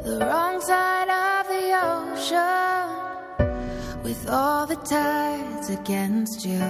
the wrong side of the ocean, with all the tides against you.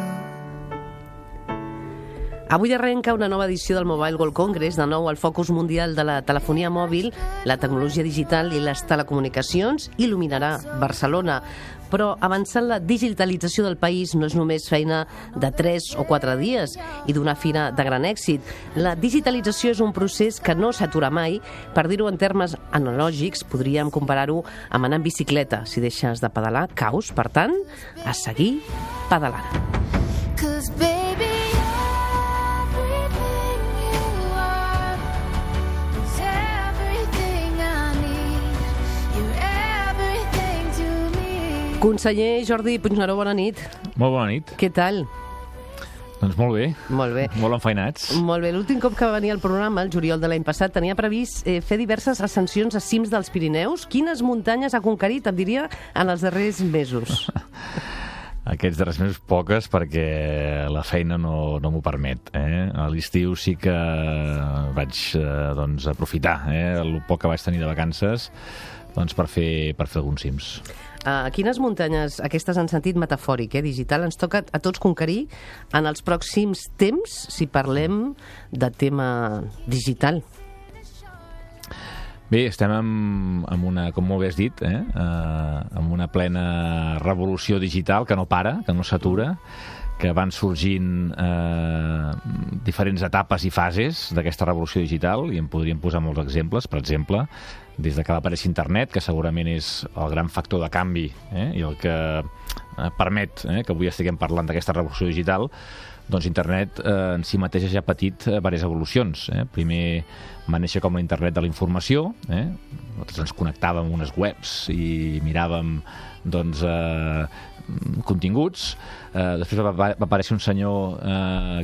Avui arrenca una nova edició del Mobile World Congress, de nou el focus mundial de la telefonia mòbil, la tecnologia digital i les telecomunicacions il·luminarà Barcelona. Però avançant la digitalització del país no és només feina de 3 o 4 dies i d'una fira de gran èxit. La digitalització és un procés que no s'atura mai. Per dir-ho en termes analògics, podríem comparar-ho amb anar en bicicleta. Si deixes de pedalar, caus. Per tant, a seguir pedalant. 'Cause baby, everything you are is everything I need. You're everything to me. Conseller Jordi Puigneró, bona nit. Molt bona nit. Què tal? Doncs molt bé. Molt bé. Molt enfeinats. Molt bé. L'últim cop que va venir al programa, el juliol de l'any passat, tenia previst fer diverses ascensions a cims dels Pirineus. Quines muntanyes ha conquerit, em diria, en els darrers mesos? Aquests darrers mesos poques, perquè la feina no m'ho permet. A l'estiu sí que vaig aprofitar el poc que vaig tenir de vacances per fer alguns cims. Quines muntanyes, aquestes en sentit metafòric, digital, ens toca a tots conquerir en els pròxims temps, si parlem de tema digital? Bé, estem en una, com molt bé has dit, en una plena revolució digital que no para, que no s'atura, que van sorgint diferents etapes i fases d'aquesta revolució digital, i en podríem posar molts exemples. Per exemple, des de que va aparèixer internet, que segurament és el gran factor de canvi i el que permet que avui estiguem parlant d'aquesta revolució digital, doncs internet en si mateixa ja ha patit diverses evolucions. Primer va néixer com la internet de la informació, nosaltres ens connectàvem a unes webs i miràvem continguts. Després va aparèixer un senyor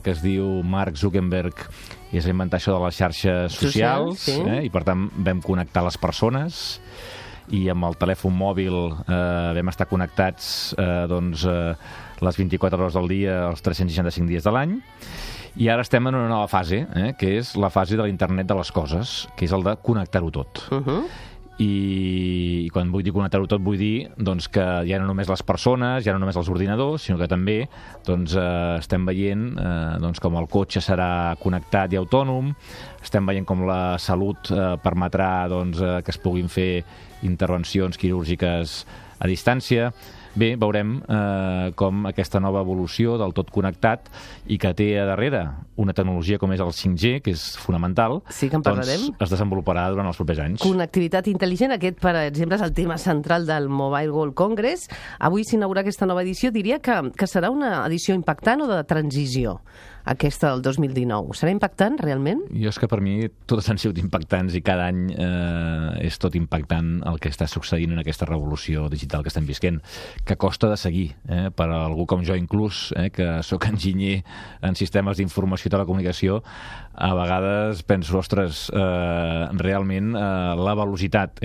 que es diu Mark Zuckerberg i es va inventar això de les xarxes socials, sí. I per tant vam connectar les persones, i amb el telèfon mòbil vam estar connectats les 24 hores del dia, els 365 dies de l'any. I ara estem en una nova fase, que és la fase de l'internet de les coses, que és el de connectar-ho tot. I quan vull dir connectar-ho tot, vull dir que ja no només les persones, ja no només els ordinadors, sinó que també estem veient com el cotxe serà connectat i autònom, estem veient com la salut permetrà que es puguin fer intervencions quirúrgiques a distància. Bé, veurem com aquesta nova evolució del tot connectat i que té a darrere una tecnologia com és el 5G, que és fonamental, sí que en parlarem, es desenvoluparà durant els propers anys. Connectivitat intel·ligent, aquest, per exemple, és el tema central del Mobile World Congress. Avui s'inaugura aquesta nova edició. Diria que serà una edició impactant o de transició, aquesta del 2019. Serà impactant, realment? Jo és que per mi totes han sigut impactants i cada any és tot impactant el que està succeint en aquesta revolució digital que estem visquent, que costa de seguir, per a algú com jo inclús, que sóc enginyer en sistemes d'informació i telecomunicació. A vegades penso, ostres, realment la velocitat,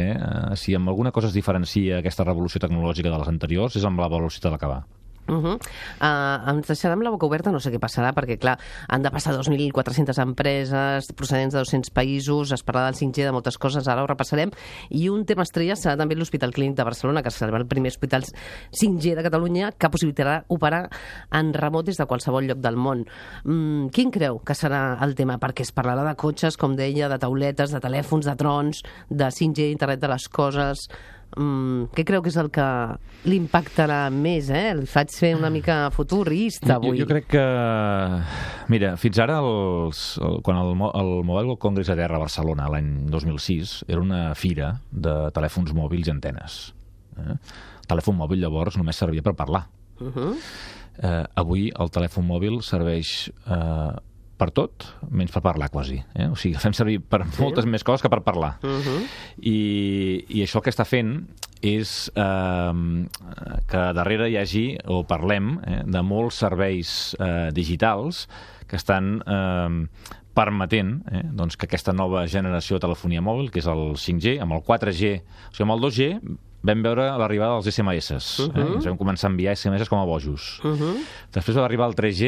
si amb alguna cosa es diferencia aquesta revolució tecnològica de les anteriors, és amb la velocitat d'acabar. Ens deixarà amb la boca oberta, no sé què passarà, perquè clar, han de passar 2.400 empreses procedents de 200 països, es parla del 5G, de moltes coses, ara ho repassarem, i un tema estrella serà també l'Hospital Clínic de Barcelona, que serà el primer hospital 5G de Catalunya que possibilitarà operar en remot des de qualsevol lloc del món. Quin creu que serà el tema? Perquè es parlarà de cotxes, com deia, de tauletes, de telèfons, de trons, de 5G, internet de les coses. Què creu que és el que l'impactarà més? Li faig fer una mica futurista avui. Jo crec que... Mira, fins ara, quan el Mobile World Congress a terra a Barcelona, l'any 2006, era una fira de telèfons mòbils i antenes. El telèfon mòbil, llavors, només servia per parlar. Avui el telèfon mòbil serveix per tot, menys per parlar quasi. O sigui, fem servir per moltes més coses que per parlar. I això el que està fent és que darrere hi hagi, o parlem, de molts serveis digitals que estan permetent que aquesta nova generació de telefonia mòbil, que és el 5G, amb el 4G, o sigui, amb el 2G vam veure l'arribada dels SMS. Ens vam començar a enviar SMS com a bojos. Després va arribar el 3G,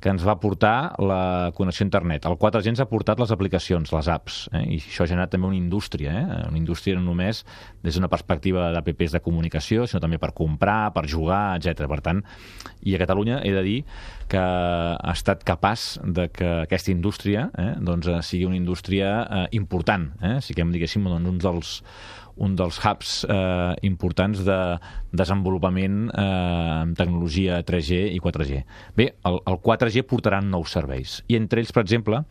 que ens va portar la connexió a internet. El 4G ens ha portat les aplicacions, les apps, i això ha generat també una indústria, una indústria no només des d'una perspectiva d'apps de comunicació, sinó també per comprar, per jugar, etc. Per tant, i a Catalunya he de dir que ha estat capaç de que aquesta indústria doncs, sigui una indústria important, siguem, diguéssim, un dels hubs importants de desenvolupament en tecnologia 3G i 4G. Bé, el 4G portaran nous serveis, i entre ells, per exemple,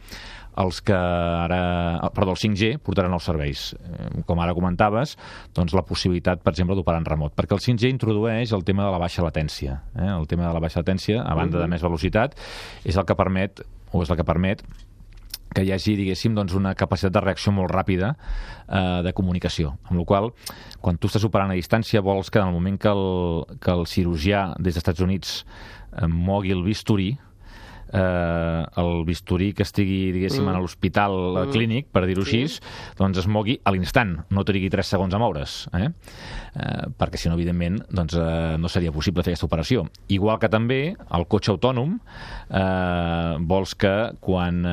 el 5G portarà nous serveis. Com ara comentaves, doncs la possibilitat, per exemple, d'operar en remot, perquè el 5G introdueix el tema de la baixa latència. El tema de la baixa latència, a banda de més velocitat, és el que permet que hi hagi, diguéssim, doncs una capacitat de reacció molt ràpida de comunicació. Amb la qual cosa, quan tu estàs operant a distància, vols que en el moment que el cirurgià des dels Estats Units mogui el bisturí que estigui, diguéssim, a l'hospital clínic, per dir-ho així, doncs es mogui a l'instant, no trigui 3 segons a moure's, perquè si no, evidentment, doncs, no seria possible fer aquesta operació. Igual que també el cotxe autònom, vols que quan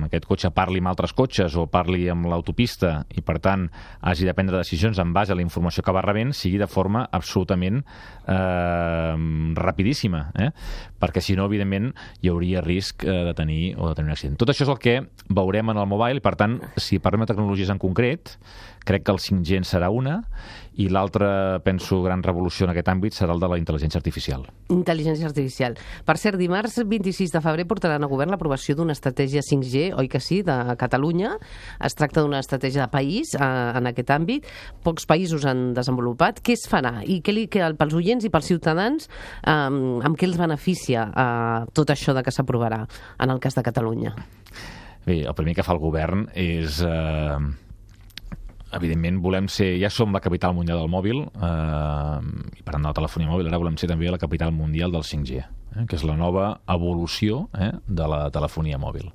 aquest cotxe parli amb altres cotxes o parli amb l'autopista i, per tant, hagi de prendre decisions en base a la informació que va rebent, sigui de forma absolutament rapidíssima, perquè si no, evidentment, hi hauria risc de tenir un accident. Tot això és el que veurem en el mobile, i per tant, si parlem de tecnologies en concret, crec que el 5G en serà una, i l'altra, penso, gran revolució en aquest àmbit serà el de la intel·ligència artificial. Intel·ligència artificial. Per cert, dimarts 26 de febrer portaran a govern l'aprovació d'una estratègia 5G, oi que sí, de Catalunya. Es tracta d'una estratègia de país en aquest àmbit. Pocs països han desenvolupat. Què es farà? I pels oients i pels ciutadans, amb què els beneficia tot això de que s'aprovarà en el cas de Catalunya? Bé, el primer que fa el govern és... evidentment, ja som la capital mundial del mòbil, i per tant de la telefonia mòbil, ara volem ser també la capital mundial del 5G, que és la nova evolució de la telefonia mòbil.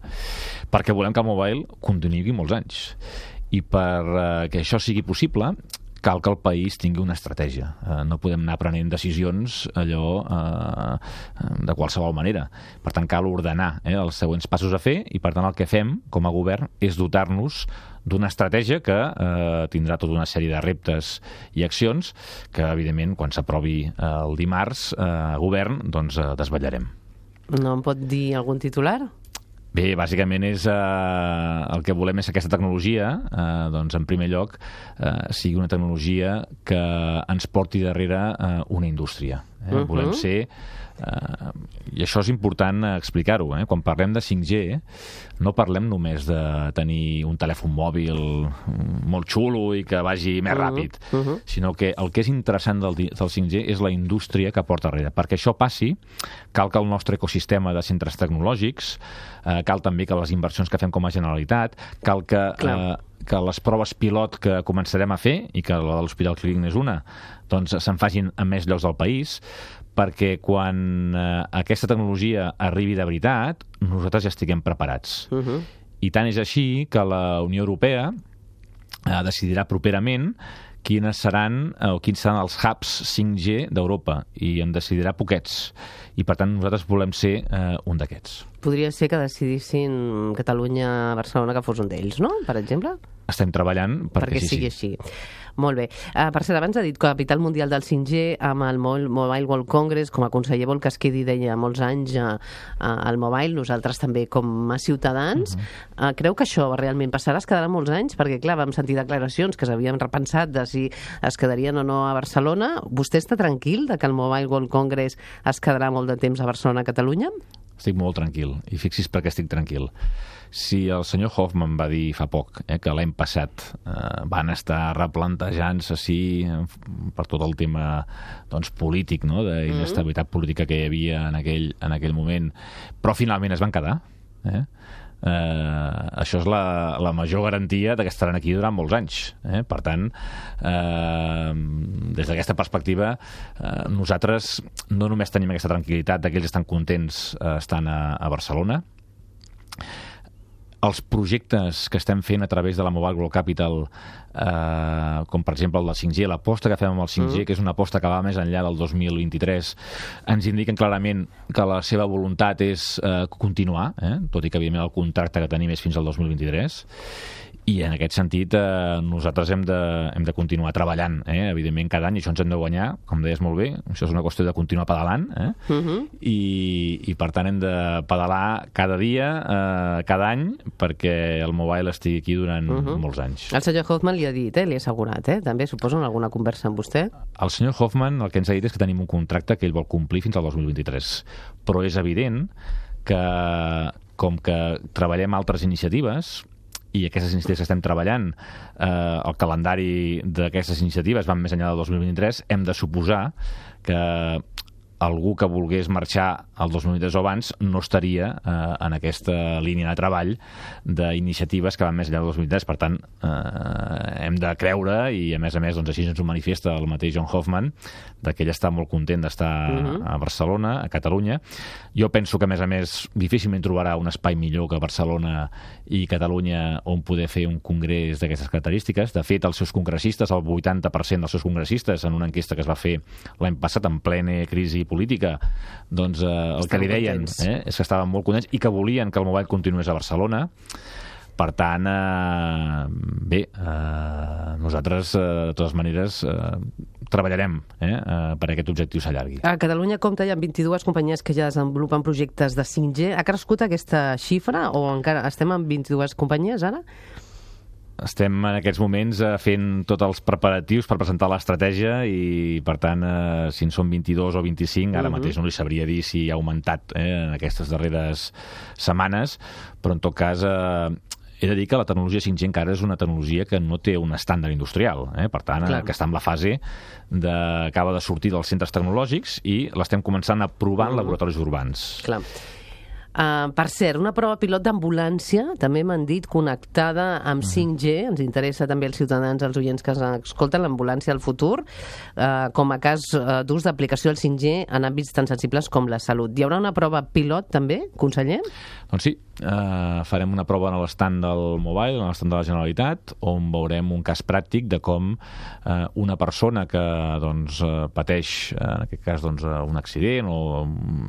Perquè volem que el mobile continuï molts anys. I perquè això sigui possible, cal que el país tingui una estratègia. No podem anar prenent decisions allò de qualsevol manera. Per tant, cal ordenar els següents passos a fer, i per tant el que fem com a govern és dotar-nos d'una estratègia que tindrà tota una sèrie de reptes i accions que, evidentment, quan s'aprovi el dimarts a govern, doncs desvetllarem. No em pot dir algun titular? Bé, bàsicament el que volem és que aquesta tecnologia, doncs, en primer lloc, sigui una tecnologia que ens porti darrere una indústria. Volem ser... I això és important explicar-ho. Quan parlem de 5G, no parlem només de tenir un telèfon mòbil molt xulo i que vagi més ràpid, sinó que el que és interessant del 5G és la indústria que porta darrere. Perquè això passi, cal que el nostre ecosistema de centres tecnològics, cal també que les inversions que fem com a Generalitat, cal que les proves pilot que començarem a fer, i que la de l'Hospital Clínic és una, doncs se'n facin en més llocs del país, perquè quan aquesta tecnologia arribi de veritat, nosaltres ja estiguem preparats. I tant és així que la Unió Europea decidirà properament quins seran els hubs 5G d'Europa, i en decidirà poquets. I, per tant, nosaltres volem ser un d'aquests. Podria ser que decidissin Catalunya, Barcelona, que fos un d'ells, no?, per exemple? Estem treballant perquè sigui així. Molt bé. Per cert, abans ha dit capital mundial del 5G, amb el Mobile World Congress, com a conseller vol que es quedi, deia, molts anys al mobile, nosaltres també com a ciutadans. Creu que això realment passarà? Es quedarà molts anys? Perquè, clar, vam sentir declaracions que s'havien repensat de si es quedarien o no a Barcelona. Vostè està tranquil de que el Mobile World Congress es quedarà molt de temps a Barcelona, a Catalunya? Estic molt tranquil, i fixi's perquè estic tranquil. Si el senyor Hoffman va dir fa poc que l'any passat van estar replantejant-se per tot el tema polític, d'inestabilitat política que hi havia en aquell moment, però finalment es van quedar, això és la major garantia de que estaran aquí durant molts anys. Per tant, des d'aquesta perspectiva, nosaltres no només tenim aquesta tranquil·litat de que ells estan contents estant a Barcelona, els projectes que estem fent a través de la Mobile World Capital, com per exemple el del 5G, l'aposta que fem amb el 5G, que és una aposta que va més enllà del 2023, ens indiquen clarament que la seva voluntat és continuar, tot i que evidentment el contracte que tenim és fins al 2023, i en aquest sentit nosaltres hem de continuar treballant, evidentment cada any, i això ens hem de guanyar, com deies molt bé, això és una qüestió de continuar pedalant, i per tant hem de pedalar cada dia, cada any, perquè el mobile estigui aquí durant molts anys. El senyor Hoffman li ha dit, li ha assegurat, també suposo en alguna conversa amb vostè? El senyor Hoffman el que ens ha dit és que tenim un contracte que ell vol complir fins al 2023, però és evident que com que treballem altres iniciatives, i aquestes iniciatives que estem treballant, el calendari d'aquestes iniciatives van més enllà del 2023, hem de suposar que algú que volgués marxar el 2023 o abans no estaria en aquesta línia de treball d'iniciatives que van més enllà del 2023. Per tant, hem de creure, i a més doncs, així ens ho manifesta el mateix John Hoffman, que ell està molt content d'estar a Barcelona, a Catalunya. Jo penso que, a més, difícilment trobarà un espai millor que Barcelona i Catalunya on poder fer un congrés d'aquestes característiques. De fet, els seus congressistes, el 80% dels seus congressistes, en una enquesta que es va fer l'any passat en plena crisi política, doncs el que li deien és que estaven molt contents i que volien que el mobile continués a Barcelona. Per tant, bé, nosaltres, de totes maneres, treballarem per aquest objectiu s'allargui. A Catalunya compta ja amb 22 companyies que ja desenvolupen projectes de 5G. Ha crescut aquesta xifra o encara estem amb 22 companyies ara? Estem en aquests moments fent tots els preparatius per presentar l'estratègia i, per tant, si en són 22 o 25, ara mateix no li sabria dir si ha augmentat en aquestes darreres setmanes, però en tot cas he de dir que la tecnologia 5G encara és una tecnologia que no té un estàndard industrial, per tant, que està en la fase acaba de sortir dels centres tecnològics i l'estem començant a provar en laboratoris urbans. Clar. Per cert, una prova pilot d'ambulància, també m'han dit, connectada amb 5G, ens interessa també als ciutadans, als oients que escolten l'ambulància del futur, com a cas d'ús d'aplicació del 5G en àmbits tan sensibles com la salut. Hi haurà una prova pilot també, conseller? Doncs sí, farem una prova a l'estand del Mobile, a l'estand de la Generalitat, on veurem un cas pràctic de com una persona que pateix, en aquest cas, un accident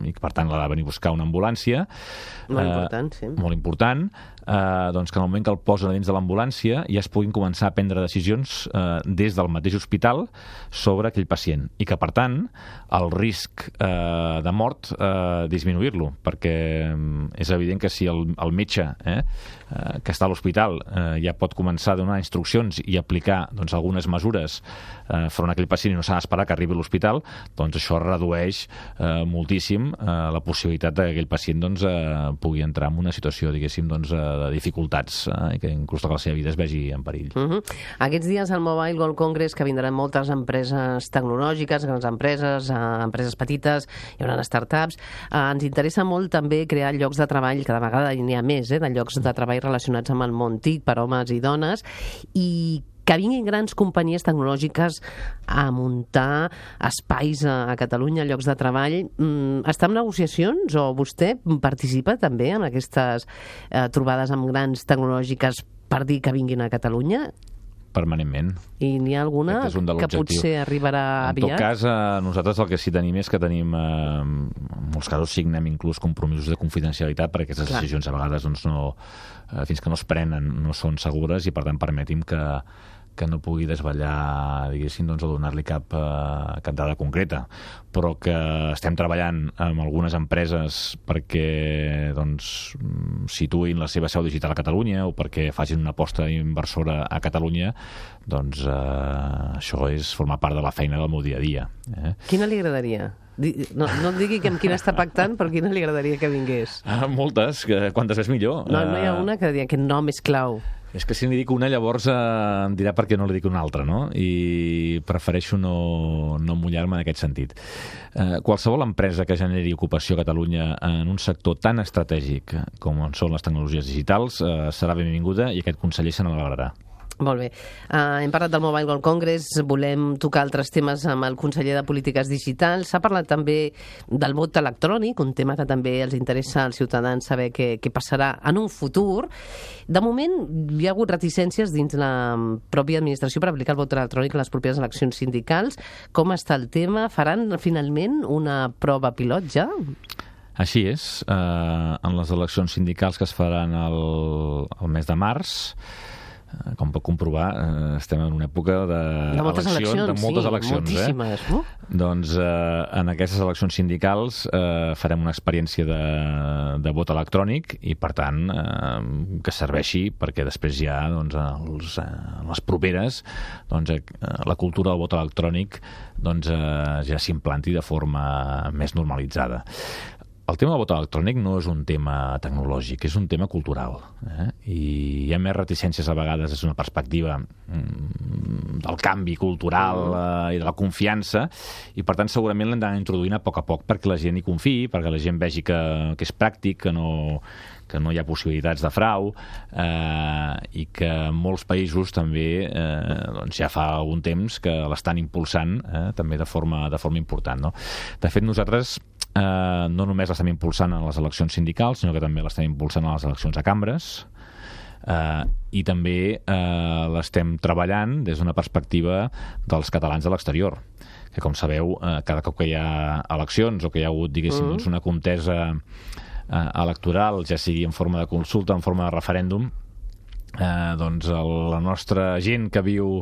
i que per tant l'ha de venir a buscar una ambulància. Molt important, sí. Molt important, doncs que en el moment que el posen dins de l'ambulància ja es puguin començar a prendre decisions des del mateix hospital sobre aquell pacient i que, per tant, el risc de mort disminuir-lo, perquè és evident que si el metge que està a l'hospital ja pot començar a donar instruccions i aplicar algunes mesures front a aquell pacient i no s'ha d'esperar que arribi a l'hospital, doncs això redueix moltíssim la possibilitat que aquell pacient pugui entrar en una situació, diguéssim, de dificultats i que inclús la seva vida es vegi en perill. Aquests dies al Mobile World Congress, que vindran moltes empreses tecnològiques, grans empreses, empreses petites, hi haurà startups, ens interessa molt també crear llocs de treball, cada vegada n'hi ha més, de llocs de treball relacionats amb el món TIC per homes i dones, i que vinguin grans companyies tecnològiques a muntar espais a Catalunya, llocs de treball. Està en negociacions o vostè participa també en aquestes trobades amb grans tecnològiques per dir que vinguin a Catalunya? Permanentment. I n'hi ha alguna que potser arribarà aviat? En tot cas, nosaltres el que sí tenim és que tenim, en molts casos signem inclús compromisos de confidencialitat perquè aquestes decisions a vegades fins que no es prenen no són segures i per tant permetim que no pugui desvetllar, diguéssim, o donar-li cap dada concreta, però que estem treballant amb algunes empreses perquè situïn la seva seu digital a Catalunya o perquè facin una aposta inversora a Catalunya, doncs això és formar part de la feina del meu dia a dia. Quina li agradaria? No digui que amb quina està pactant, però quina li agradaria que vingués? Moltes, quantes més millor. No hi ha una que digui aquest nom és clau. És que si n'hi dic una, llavors em dirà per què no li dic una altra, no? I prefereixo no mullar-me en aquest sentit. Qualsevol empresa que generi ocupació a Catalunya en un sector tan estratègic com són les tecnologies digitals serà benvinguda i aquest conseller se n'alegrarà. Molt bé. Hem parlat del Mobile World Congress, volem tocar altres temes amb el conseller de Polítiques Digitals. S'ha parlat també del vot electrònic, un tema que també els interessa als ciutadans saber què passarà en un futur. De moment, hi ha hagut reticències dins la pròpia administració per aplicar el vot electrònic a les properes eleccions sindicals. Com està el tema? Faran finalment una prova pilot ja? Així és. En les eleccions sindicals que es faran el mes de març, com pot comprovar, estem en una època de moltes eleccions, moltíssimes, no? Doncs en aquestes eleccions sindicals farem una experiència de vot electrònic i, per tant, que serveixi perquè després ja, doncs, les properes, doncs, la cultura del vot electrònic doncs, ja s'implanti de forma més normalitzada. El tema del vot electrònic no és un tema tecnològic, és un tema cultural. I hi ha més reticències a vegades des d'una perspectiva del canvi cultural i de la confiança, i per tant segurament l'hem d'anar introduint a poc perquè la gent hi confiï, perquè la gent vegi que és pràctic, que no hi ha possibilitats de frau, i que molts països també doncs ja fa algun temps que l'estan impulsant també de forma important. No? De fet, nosaltres no només l'estem impulsant en les eleccions sindicals, sinó que també l'estem impulsant a les eleccions a cambres, i també l'estem treballant des d'una perspectiva dels catalans a l'exterior, que, com sabeu, cada cop que hi ha eleccions o que hi ha hagut, diguéssim, una contesa electoral, ja sigui en forma de consulta, en forma de referèndum, doncs la nostra gent que viu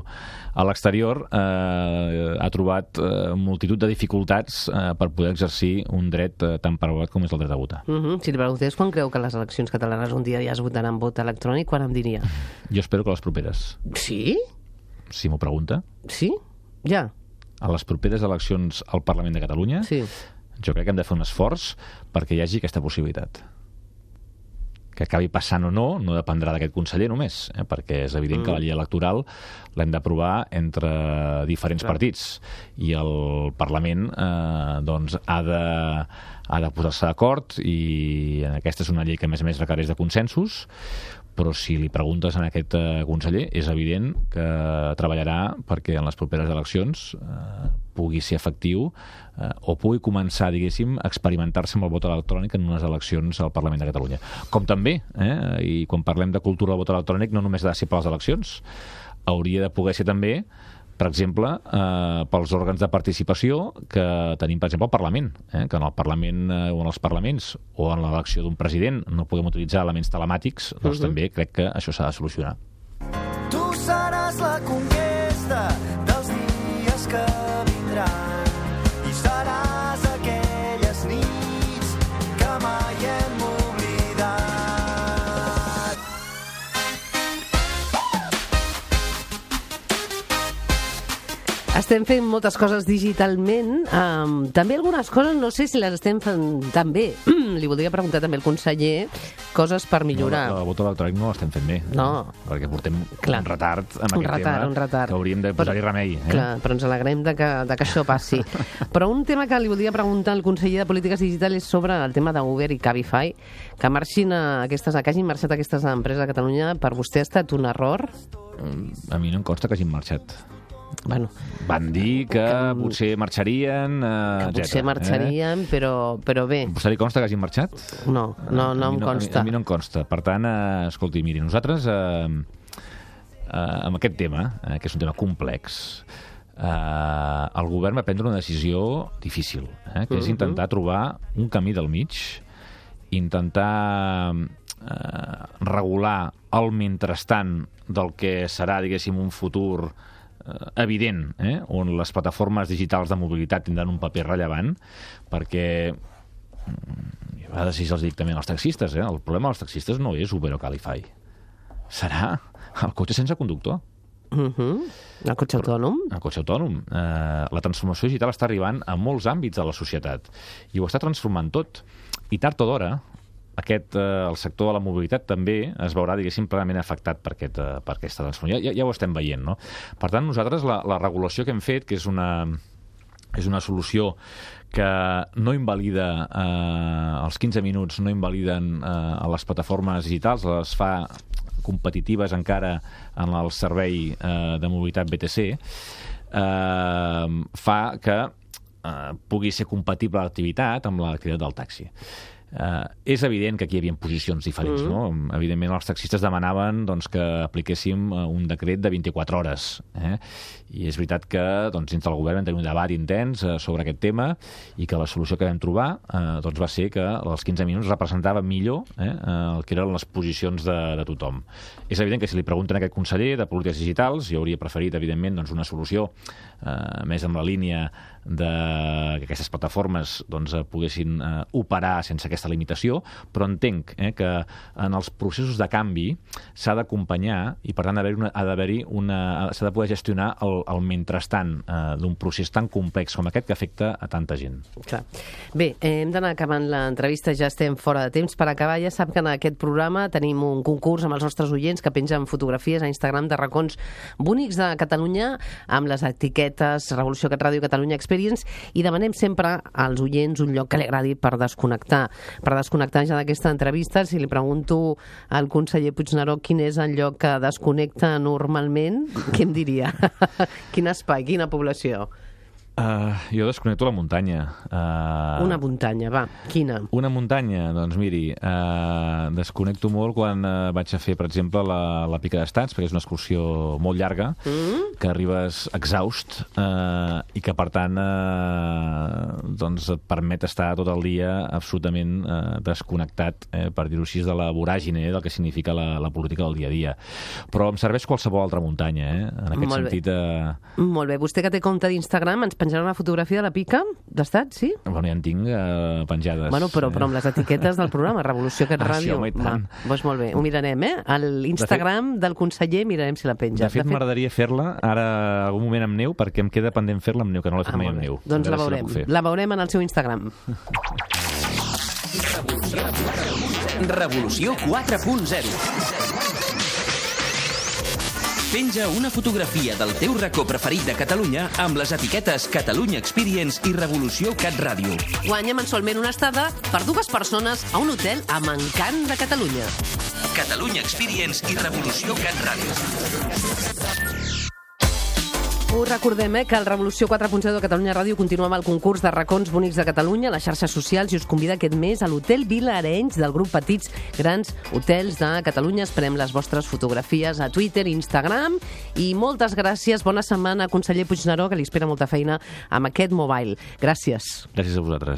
a l'exterior ha trobat multitud de dificultats per poder exercir un dret tan preuat com és el dret a votar. Si li preguntés quan creu que les eleccions catalanes un dia ja es votaran vot electrònic, quan em diria? Jo espero que les properes. Sí? Si m'ho pregunta. Sí? Ja? A les properes eleccions al Parlament de Catalunya, sí. Jo crec que hem de fer un esforç perquè hi hagi aquesta possibilitat. Que acabi passant o no dependrà d'aquest conseller només, perquè és evident que la llei electoral l'hem d'aprovar entre diferents partits i el Parlament doncs ha de posar-se d'acord, i aquesta és una llei que a més requereix de consensos, però si li preguntes a aquest conseller és evident que treballarà perquè en les properes eleccions pugui ser efectiu o pugui començar, diguéssim, a experimentar-se amb el vot electrònic en unes eleccions al Parlament de Catalunya. Com també, i quan parlem de cultura del vot electrònic, no només ha de ser per les eleccions, hauria de poder ser també, per exemple, pels òrgans de participació que tenim, per exemple, al Parlament, que en el Parlament o en els parlaments o en l'elecció d'un president no podem utilitzar elements telemàtics, doncs també crec que això s'ha de solucionar. Tu seràs la conquesta dels dies que vindran i seràs aquelles nits que mai hem oblidat. Estem fent moltes coses digitalment, també algunes coses no sé si les estem fent tan bé. Li voldria preguntar també al conseller coses per millorar. No, el vot electrònic no l'estem fent bé, perquè portem un retard en aquest tema que hauríem de posar-hi remei. Clar, però ens alegrem de que això passi. Però un tema que li voldria preguntar al conseller de Polítiques Digitals és sobre el tema d'Uber i Cabify, que hagin marxat aquestes empreses a Catalunya. Per vostè ha estat un error? A mi no em consta que hagin marxat. Bueno, van dir que potser marxarien, però bé. A vostè li consta que hagin marxat? No em consta. A mi no em consta. Per tant, escolti, miri, nosaltres amb aquest tema, que és un tema complex, el govern va prendre una decisió difícil, que és intentar trobar un camí del mig, intentar regular el mentrestant del que serà, diguéssim, un futur evident, on les plataformes digitals de mobilitat tindran un paper rellevant, perquè a vegades si els dic també als taxistes, el problema dels taxistes no és Uber o Cabify, serà el cotxe sense conductor. El cotxe autònom? El cotxe autònom. La transformació digital està arribant a molts àmbits de la societat i ho està transformant tot, i tard o d'hora el sector de la mobilitat també es veurà, diguéssim, plenament afectat per aquesta transformació. Ja ho estem veient, no? Per tant, nosaltres la regulació que hem fet, que és una solució que no invalida els 15 minuts, no invaliden a les plataformes digitals, les fa competitives encara en el servei de mobilitat BTC, fa que pugui ser compatible l'activitat amb l'activitat del taxi. És evident que aquí hi havia posicions diferents, no? Evidentment els taxistes demanaven doncs, que apliquéssim un decret de 24 hores, i és veritat que doncs, dins del govern vam tenir un debat intens sobre aquest tema i que la solució que vam trobar doncs, va ser que els 15 minuts representava millor el que eren les posicions de tothom. És evident que si li pregunten a aquest conseller de polítiques digitals, jo hauria preferit, evidentment, doncs, una solució més amb la línia de que aquestes plataformes doncs, poguessin operar sense aquesta limitació, però entenc que en els processos de canvi s'ha d'acompanyar i, per tant, s'ha de poder gestionar el mentrestant d'un procés tan complex com aquest que afecta a tanta gent. Clar. Bé, hem d'anar acabant l'entrevista, ja estem fora de temps. Per acabar, ja sap que en aquest programa tenim un concurs amb els nostres oients que pengen fotografies a Instagram de racons bonics de Catalunya amb les etiquetes Revolució Cat Ràdio Catalunya Experience, i demanem sempre als oients un lloc que li agradi per desconnectar. Per desconnectar ja d'aquesta entrevista, si li pregunto al conseller Puigneró quin és el lloc que desconnecta normalment, què em diria? Quin espai, quina població? Jo desconnecto la muntanya. Una muntanya, va, quina? Una muntanya, doncs miri, desconnecto molt quan vaig a fer, per exemple, la Pica d'Estats, perquè és una excursió molt llarga, que arribes exhaust i que, per tant, doncs et permet estar tot el dia absolutament desconnectat, per dir-ho així, de la voràgine del que significa la política del dia a dia. Però em serveix qualsevol altra muntanya, en aquest sentit. Molt bé. Vostè que té compte d'Instagram ens penjarà una fotografia de la Pica d'Estat, sí? Bueno, ja en tinc penjades. Bueno, però amb les etiquetes del programa, Revolució Cat Ràdio. Sí, home, i tant. Doncs molt bé, ho mirarem, a l'Instagram del conseller mirarem si la penja. De fet, m'agradaria fer-la ara algun moment amb neu, perquè em queda pendent fer-la amb neu, que no l'he fet mai amb neu. Doncs la veurem. La veurem en el seu Instagram. Revolució 4.0. Penja una fotografia del teu racó preferit de Catalunya amb les etiquetes Catalunya Experience i Revolució Cat Ràdio. Guanya mensualment una estada per 2 persones a un hotel amb encant de Catalunya. Catalunya Experience i Revolució Cat Ràdio. Us recordem que el Revolució 4.0 de Catalunya Ràdio continua amb el concurs de racons bonics de Catalunya a les xarxes socials i us convida aquest mes a l'Hotel Vila Arenys del grup Petits Grans Hotels de Catalunya. Esperem les vostres fotografies a Twitter, Instagram, i moltes gràcies. Bona setmana, conseller Puigneró, que li espera molta feina amb aquest mobile. Gràcies. Gràcies a vosaltres.